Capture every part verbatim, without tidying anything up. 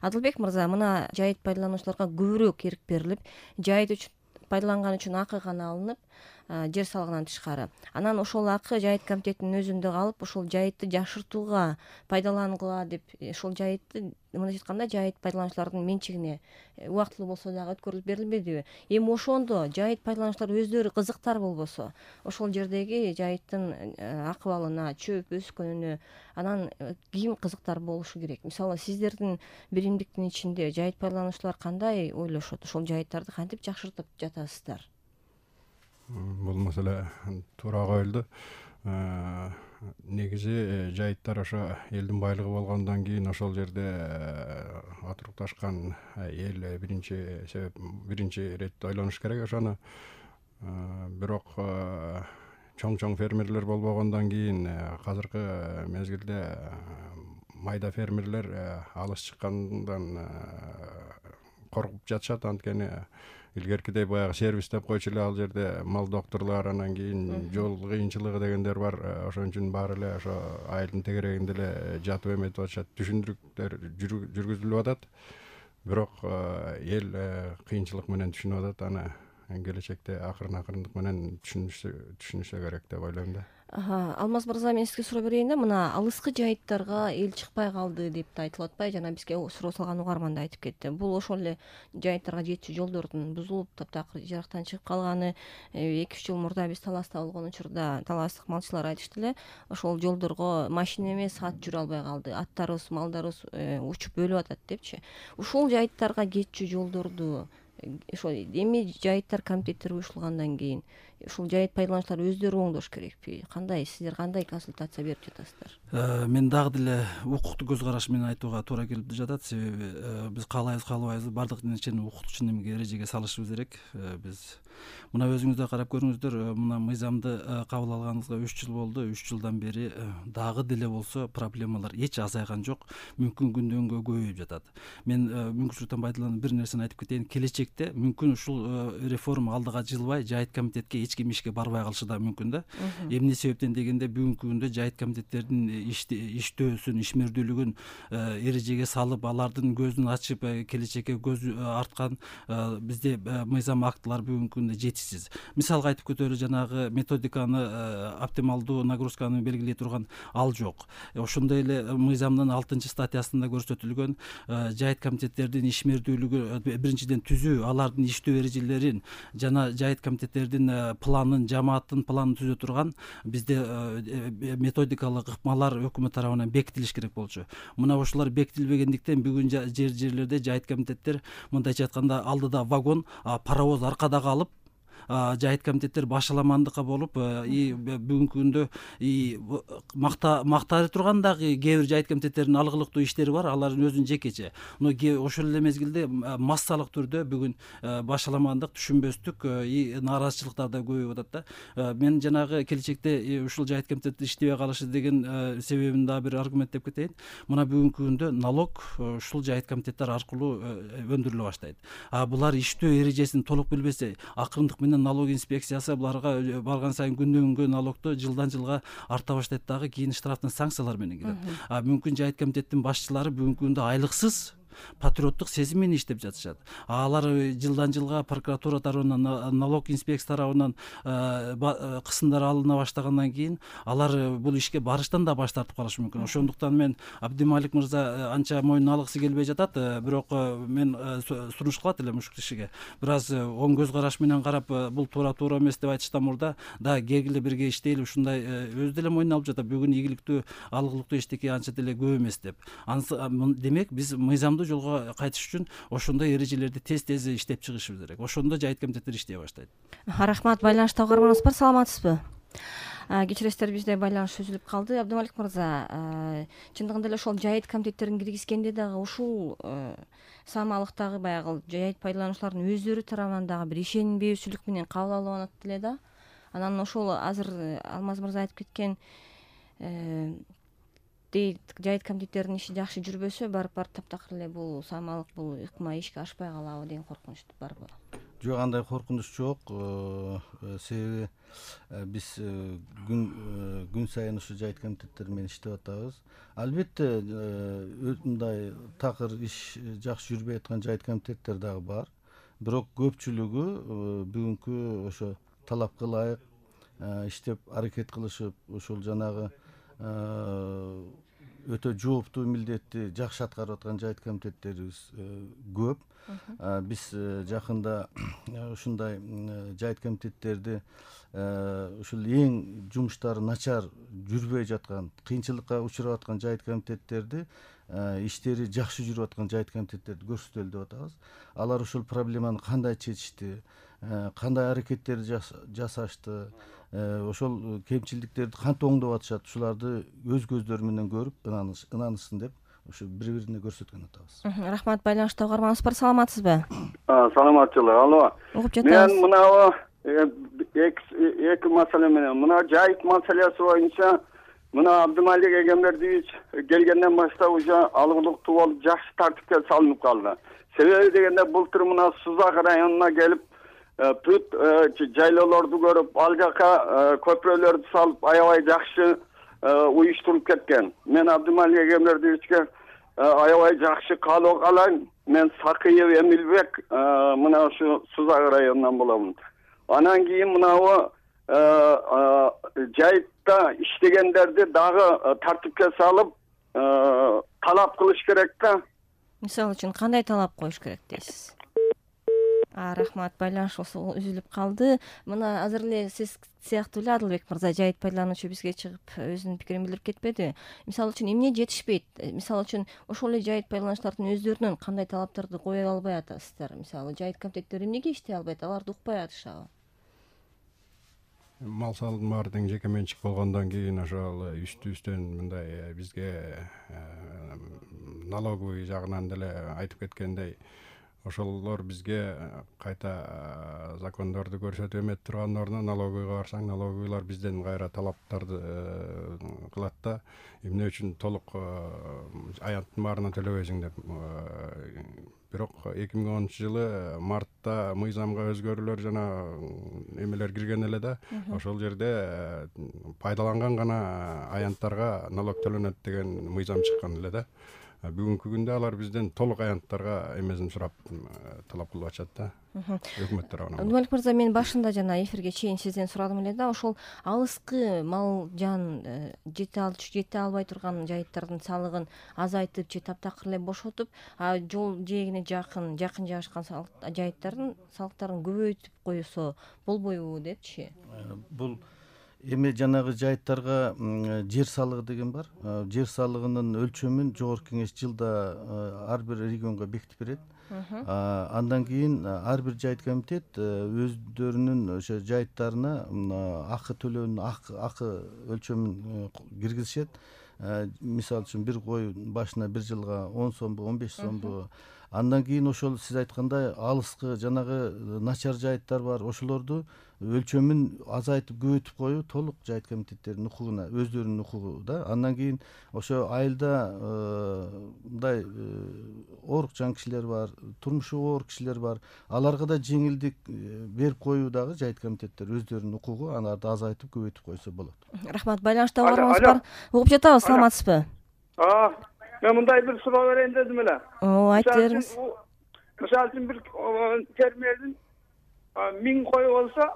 Адылбек мырза, мына жайыт пайдалануучуларга көбүрөөк эрк берилип, жайыт үчүн пайдаланган үчүн акы гана алынып, жер салыгынан тышкары. Анан ошол акы жайыт комитетинин өзүндө калып, ошол жайытты жакшыртууга пайдалангыла деп, ошол жайытты мындайча айтканда жайыт пайдалануучулардын менчигине убактылуу болсо дагы өткөрүлүп берилбедиби? Эми ошондо жайыт пайдалануучулар өздөрү кызыктар болбосо, ошол жердеги жайыттын акыбалына, чөп өскөнүнө анан ким кызыктар болушу керек? Мисалы, сиздердин биримдиктин ичинде жайыт пайдалануучулар кандай ойлошот? Ошол жайыттарды кантип жакшыртып жатасыздар? Бул маселе туура коюлду. Негизи жайыттар ошо элдин байлыгы болгондон кийин ошол жерде отурукташкан эл биринчи себеп биринчи иретте ойлонуш керек ошону. Бирок чоң чоң фермерлер болбогондон кийин азыркы мезгилде майда фермерлер алыс чыккандан коркуп жатышат. Анткени илгеркидей баягы сервис деп койчу эле ал жерде мал докторлор, анан кийин жол кыйынчылыгы дегендер бар. Ошон үчүн баары эле ошо айылдын тегерегинде эле жатып эметип атышат. Түшүндүрүктөр жүргүзүлүп атат. Бирок эл кыйынчылык менен түшүнүп атат. Аны келечекте акырын акырындык менен түшүнүшө керек деп ойлойм да. Алмаз мырза, мен сизге суроо берейин да, мына алыскы жайыттарга эл чыкпай калды деп да айтылып атпайбы? Жана бизге суроо салган угарман да айтып кетти. Бул ошол эле жайыттарга жетчү жолдордун бузулуп, таптакыр жырактан чыгып калганы. эки үч жыл мурда биз Таласта болгон учурда таластык малчылар айтышты эле, ошол жолдорго машина эмес, ат жүрө албай калды. Аттарыбыз, малдарыбыз учуп өлүп атат депчи. Ушул жайыттарга кетчү жолдорду ошо эми жайыттар комитеттери уюшулгандан кийин ушул жайыт пайдалануучулар өздөрү оңдош керекпи? Кандай, сиздер кандай консультация берип жатасыздар? Мен дагы деле укуктук көз караш менен айтууга туура келип жатат. Себеби биз каалайбыз каалабайбыз, бардык нерсени укуктук немеге эрежеге салышыбыз керек. Биз мына өзүңүз да карап көрүңүздөр, мына мыйзамды кабыл алганыбызга үч жыл болду. үч жылдан бери дагы деле болсо проблемалар эч азайган жок. Мүмкүн күндөн күнгө көбөйүп жатат. Мен мүмкүнчүлүктөн пайдаланып бир нерсени айтып кетейин. Келечекте мүмкүн ушул реформа алдыга жылбай жайыт комитетке эч ким ишке барбай калышы да мүмкүн да. Эмне себептен дегенде, бүгүнкү күндө жайыт комитеттердин иштөөсүн, ишмердүүлүгүн эрежеге салып, алардын көзүн ачып, келечекке көз арткан бизде мыйзам актылар бүгүнкү күндө жетишсиз. Мисалга айтып кетели, жанагы методиканы, оптималдуу нагрузканы белгилей турган ал жок. Ошондой эле мыйзамдын алтынчы статьясында көрсөтүлгөн жайыт комитеттердин ишмердүүлүгү биринчиден түзүү, алардын иштөө эрежелерин жана жайыт комитеттердин планын, жамааттын планын түзө турган бизде методикалык ыкмалар өкмөт тарабынан бекитилиш керек болчу. Мына ошолор бекитилбегендиктен бүгүн жер жерлерде жайыт комитеттер мындайча айтканда алдыда вагон, паровоз аркада калып, жайыт комитеттер башаламандыкка болуп, бүгүнкү күндө мактары турган дагы кээ бир жайыт комитеттердин алгылыктуу иштери бар, алардын өзүнүн жекече. Ошол эле мезгилде массалык түрдө бүгүн башаламандык, түшүнбөстүк, нааразычылыктар да көбөйүп атат да. Мен жанагы келечекте ушул жайыт комитети иштебей калышы деген себебин дагы бир аргумент деп кетейин. Мына бүгүнкү күндө налог ушул жайыт комитеттер аркылуу өндүрүлө баштайт. А булар иштөө эрежесин толук билбесе, акырындык менен налог инспекциясы буларга барган сайын күндөн күнгө налогду жылдан жылга арта баштайт дагы, кийин штрафтын санкциялар менен келет. А мүмкүн жайыт комитеттин башчылары бүгүнкү күндө айлыксыз патриоттук сезим менен иштеп жатышат. Алар жылдан жылга прокуратура тарабынан, налог инспекция тарабынан кысымдар алына баштагандан кийин алар бул ишке барыштан да баш тартып калышы мүмкүн. Ошондуктан мен Абдималик мырза анча мойнуна алгысы келбей жатат, бирок мен сунуш кылат элем ушул кишиге. Бир аз оң көз караш менен карап, бул туура туура эмес деп айтыштан мурда да кегиле бирге иштейли, ушундай өз деле мойнуна алып жатат. Бүгүн ийгиликтүү, алгылыктуу эчтеке анча деле көп эмес деп. Демек биз мыйзамдуу жолго кайтыш үчүн ошондой эрежелерди тез-тез иштеп чыгышыбыз керек. Ошондо жайыт комитеттер иштей баштайт. Рахмат. Байланышта угарманыбыз бар, саламатсызбы? Кечиресиздер, бизде байланыш үзүлүп калды. Абдымалик мырза, чындыгында эле ошол жайыт комитеттерин киргизгенде дагы ушул саамалыктагы баягы жайыт пайдалануучулардын өздөрү тарабынан дагы бир ишенбөөчүлүк менен кабыл алынат эле да. Анан ошол азыр Алмаз мырза айтып кеткен жайыт комитеттеринин иши жакшы жүрбөсө, барып барып таптакыр эле бул саамалык, бул ыкма ишке ашпай калабы деген коркунуч барбы? жок, андай коркунуч жок. Себеби биз күн күн сайын ушу жайыт комитеттери менен иштеп атабыз. Албетте мындай такыр иш жакшы жүрбөй аткан жайыт комитеттер дагы бар. Бирок көпчүлүгү бүгүнкү ошо талапка ылайык иштеп аракет кылышып, ушул жанагы өтө жооптуу милдетти жакшы аткарып аткан жайыт комитеттерибиз көп. Биз жакында ушундай жайыт комитеттерди ушул эң жумуштары начар жүрбөй жаткан, кыйынчылыкка учурап аткан жайыт комитеттерди иштери жакшы жүрүп аткан жайыт комитеттерди көрсөтөлү деп атабыз. Алар ушул проблеманы кандай чечишти, кандай аракеттер жасашты, ошол кемчилдиктерди кантип оңдоп атышат, ушуларды өз көздөрү менен көрүп ынанышсын деп ушу бири-бирине көрсөткөн атабыз. Рахмат. Байланышта угарманыбыз бар, саламатсызбы? Саламатчылык. Алло. Угуп жатабыз. Мен мынабы эки маселе менен, мына жайыт маселеси боюнча мына Абдымалик Эгембердиевич келгенден баштап уже алгылыктуу болуп жакшы тартипке салынып калды. Себеби дегенде былтыр мына Сузак районуна келип бүт жайлоолорду көрүп, ал жака көпүрөлөрдү салып аябай жакшы уюштуруп кеткен. Мен Абдымалик Эгембердиевичке аябай жакшы каалоо каалайм. Мен Сакыев Эмилбек мына ушу Сузак районунан боломун. Анан кийин мынабы жайытта иштегендерди дагы тартипке салып талап кылыш керек да. Мисалы үчүн кандай талап коюш керек дейсиз? Рахмат. Байланыш үзүлүп калды. Мына азыр эле сиз сыяктуу эле Адылбек мырза, жайыт пайдалануучу бизге чыгып өзүнүн пикирин билдирип кетпеди? Мисалы үчүн эмне жетишпейт? Мисалы үчүн ошол эле жайыт пайдалануучулардын өздөрүнөн кандай талаптарды кое албай атасыздар? Мисалы жайыт комитеттери эмнеге иштей албайт? Аларды укпай атышабы? Мал салдын баары тең жеке менчик болгондон кийин ошол үстү-үстөн мындай бизге налоговый жагынан деле айтып кеткендей, ошолор бизге кайта закондорду көрсөтүп эметип турган ордуна налоговыйга барсаң, налоговыйлар бизден кайра талаптарды кылат да, эмне үчүн толук аянттын баарына төлөбөйсүң деп. Бирок эки миң онунчу жылы мартта мыйзамга өзгөрүүлөр жана эмелер кирген эле да, ошол жерде пайдаланган гана аянттарга налог төлөнөт деген мыйзам чыккан эле да. Бүгүнкү күндө алар бизден толук аянттарга эмесин сурап талап кылып атышат да. Өкмөт тарабынан. Абдымалик мырза, мен башында жана эфирге чейин сизден сурадым эле да, ошол алыскы мал жан жете албай турган жайыттардын салыгын азайтып же таптакыр эле бошотуп, жол жээгине жакын, жакын жайгашкан жайыттардын салыктарын көбөйтүп койсо болбойбу депчи? Бул эми жанагы жайыттарга жер салыгы деген бар. Жер салыгынын өлчөмүн жогорку кеңеш жылда ар бир регионго бекитип берет. Андан кийин ар бир жайыт комитет өздөрүнүн ошо жайыттарына акы төлөөнүн акы өлчөмүн киргизишет. Мисалы үчүн бир кой башына бир жылга он сомбу, он беш сомбу. Андан кийин ошол сиз айткандай алыскы жанагы начар жайыттар бар, ошолорду өлчөмүн азайтып көбөйтүп коюу толук жайыт комитеттердин укугуна, өздөрүнүн укугу да. Андан кийин ошо айылда мындай оорукчан кишилер бар, турмушу оор кишилер бар. Аларга да жеңилдик берип коюу дагы жайыт комитеттер өздөрүнүн укугу, аларды азайтып көбөйтүп койсо болот. Рахмат. Байланышта угарманыбыз бар. Угуп жатабыз, саламатсызбы? Мен мындай бир суроо берейин дедим эле. О, айтып бериңиз. Мисалы үчүн бир фермердин миң кою болсо,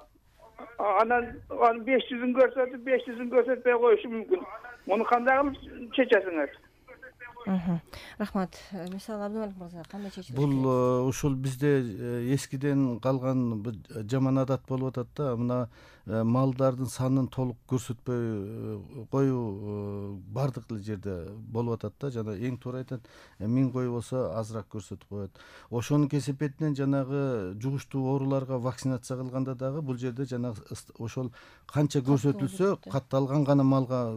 анан беш жүзүн көрсөтүп, беш жүзүн көрсөтпөй коюшу мүмкүн. Муну кандай кылып чечесиңер? Рахмат. Мисалы Абдымалик мырза, кандай чечилиш? Бул ушул бизде эскиден калган жаман адат болуп атат да. Мына малдардын санын толук көрсөтпөй коюу бардык эле жерде болуп атат да. Жана эң туура айтат, миң кой болсо азыраак көрсөтүп коет. Ошонун кесепетинен жанагы жугуштуу ооруларга вакцинация кылганда дагы бул жерде жанагы ошол канча көрсөтүлсө катталган гана малга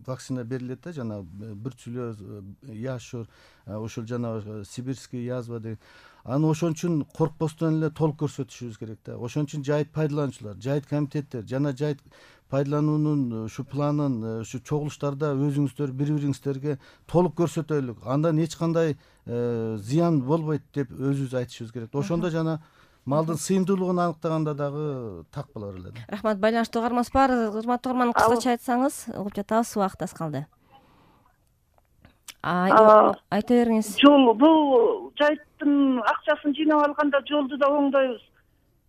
вакцина берилет да. Жана бүрчүлөз, яшур, ошол жана сибирский язва деген. Аны ошон үчүн коркпостон эле толук көрсөтүшүбүз керек да. Ошон үчүн жайыт пайдалануучулар, жайыт комитеттер жана жайыт пайдалануунун ушу планын ушу чогулуштарда өзүңүздөр бири-бириңиздерге толук көрсөтөлүк. Андан эч кандай зыян болбойт деп өзүбүз айтышыбыз керек. Ошондо жана малдын сыйымдуулугун аныктаганда дагы так болор эле да. Рахмат. Байланышта угарманыбыз бар. Урматтуу угарман, кыскача айтсаңыз, угуп жатабыз, убакыт аз калды. Айта бериңиз. Жол, бул жайыттын акчасын жыйнап алганда жолду да оңдойбуз,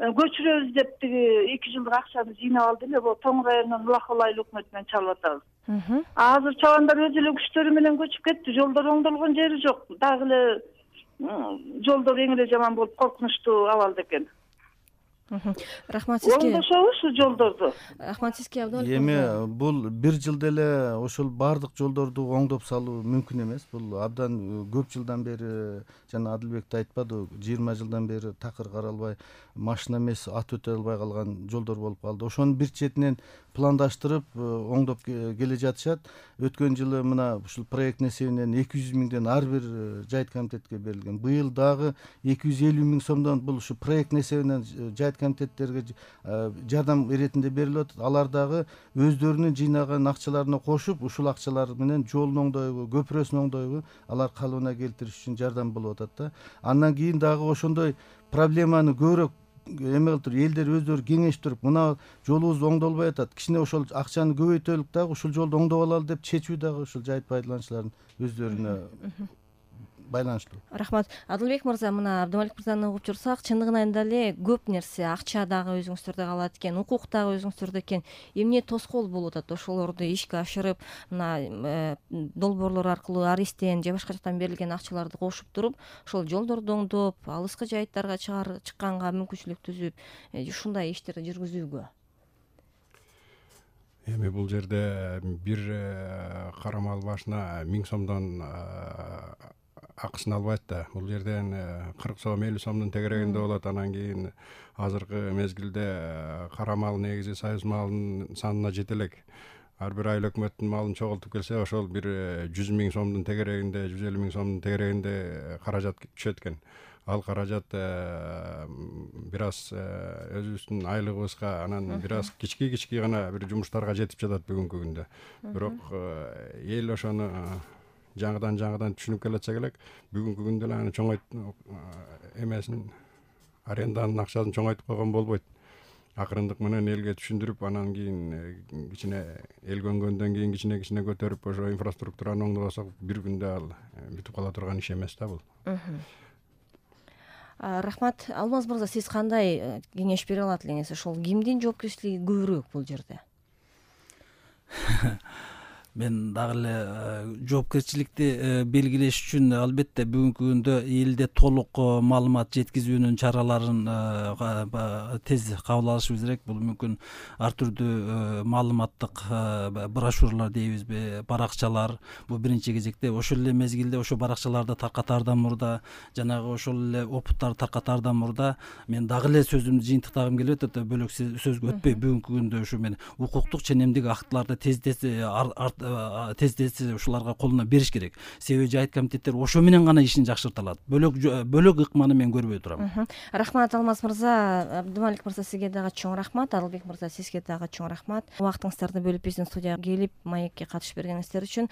көчүрөбүз деп тиги эки жылдык акчаны жыйнап алды эле, бул Тоң районунун Улакол айыл өкмөтү менен чалып атабыз. Азыр чабандар өз эле күчтөрү менен көчүп кетти, жолдор оңдолгон жери жок. Дагы эле жолдор эң эле жаман болуп, коркунучтуу абалда экен. Рахмат сизге. Оңдошобуз ушу жолдорду. Рахмат сизге. Эми бул бир жылда эле ошол баардык жолдорду оңдоп салуу мүмкүн эмес. Бул абдан көп жылдан бери, жана Адылбек да айтпады, жыйырма жылдан бери такыр каралбай, машина эмес ат өтө албай калган жолдор болуп калды. Ошонун бир четинен пландаштырып оңдоп келе жатышат. Өткөн жылы мына ушул проект эсебинен эки жүз миңден ар бир жайыт комитетке берилген. Быйыл дагы эки жүз элүү миң сомдон бул ушу проект эсебинен жайыт комитеттерге жардам иретинде берилип атат. Алар дагы өздөрүнүн жыйнаган акчаларына кошуп, ушул акчалар менен жолун оңдойбу, көпүрөсүн оңдойбу, алар калыбына келтириш үчүн жардам болуп атат да. Андан кийин дагы ошондой проблеманы көбүрөөк эме кылып туруп, элдер өздөрү кеңешип туруп, мына жолубуз оңдолбой атат, кичине ошол акчаны көбөйтөлүк дагы ушул жолду оңдоп алалы деп чечүү дагы ушул жайыт пайдалануучулардын өздөрүнө байланыштуу. Рахмат. Адылбек мырза, мына Абдымалик мырзаны угуп жүрсак, чындыгынан эле көп нерсе, акча дагы өзүңүздөрдө калат экен, укук дагы өзүңүздөрдө экен. Эмне тоскоол болуп атат ошолорду ишке ашырып, мына долбоорлор аркылуу аристен же башка жактан берилген акчаларды кошуп туруп, ошол жолдорду оңдоп, алыскы жайыттарга чыкканга мүмкүнчүлүк түзүп, ушундай иштерди жүргүзүүгө? Эми бул жерде бир карамал башына миң сомдон акысын албайт да. Бул жерден кырк сом, элүү сомдун тегерегинде болот. Анан кийин азыркы мезгилде карамал негизи союз малынын санына жете элек. Ар бир айыл өкмөттүн малын чогултуп келсе, ошол бир жүз миң сомдун тегерегинде, жүз элүү миң сомдун тегерегинде каражат түшөт экен. Ал каражат бир аз өзүбүздүн айлыгыбызга, анан бир аз кички-кички гана бир жумуштарга жетип жатат бүгүнкү күндө. Бирок эл ошону жаңыдан жаңыдан түшүнүп келатса керек. Бүгүнкү күндө эле аны чоңойт эмесин, аренданын акчасын чоңойтуп койгон болбойт. Акырындык менен элге түшүндүрүп, анан кийин кичине эл көнгөндөн кийин кичине-кичине көтөрүп, ошо инфраструктураны оңдобосок, бир күндө ал бүтүп кала турган иш эмес да бул. Рахмат. Алмаз мырза, сиз кандай кеңеш бере алат элеңиз? Ошол кимдин жоопкерчилиги көбүрөөк бул жерде? Мен дагы эле жоопкерчиликти белгилеш үчүн албетте бүгүнкү күндө элде толук маалымат жеткизүүнүн чараларын тез кабыл алышыбыз керек. Бул мүмкүн ар түрдүү маалыматтык брошюралар дейбизби, баракчалар. Бул биринчи кезекте ошол эле мезгилде ошо баракчаларды таркатаардан мурда, жанагы ошол эле опуттарды таркатаардан мурда мен дагы эле сөзүмдү жыйынтыктагым келип атат. Бөлөк сөзгө өтпөй, бүгүнкү күндө ушу мен укуктук ченемдик актыларды тездет тез тез ушуларга колуна бериш керек. Себеби жайыт комитеттер ошо менен гана ишин жакшырта алат. Бөлөк бөлөк ыкманы мен көрбөй турам. Рахмат Алмаз мырза, Абдымалик мырза, сизге дагы чоң рахмат. Адылбек мырза, сизге дагы чоң рахмат. Убактыңыздарды бөлүп биздин студияга келип, маекке катышып бергениңиздер үчүн.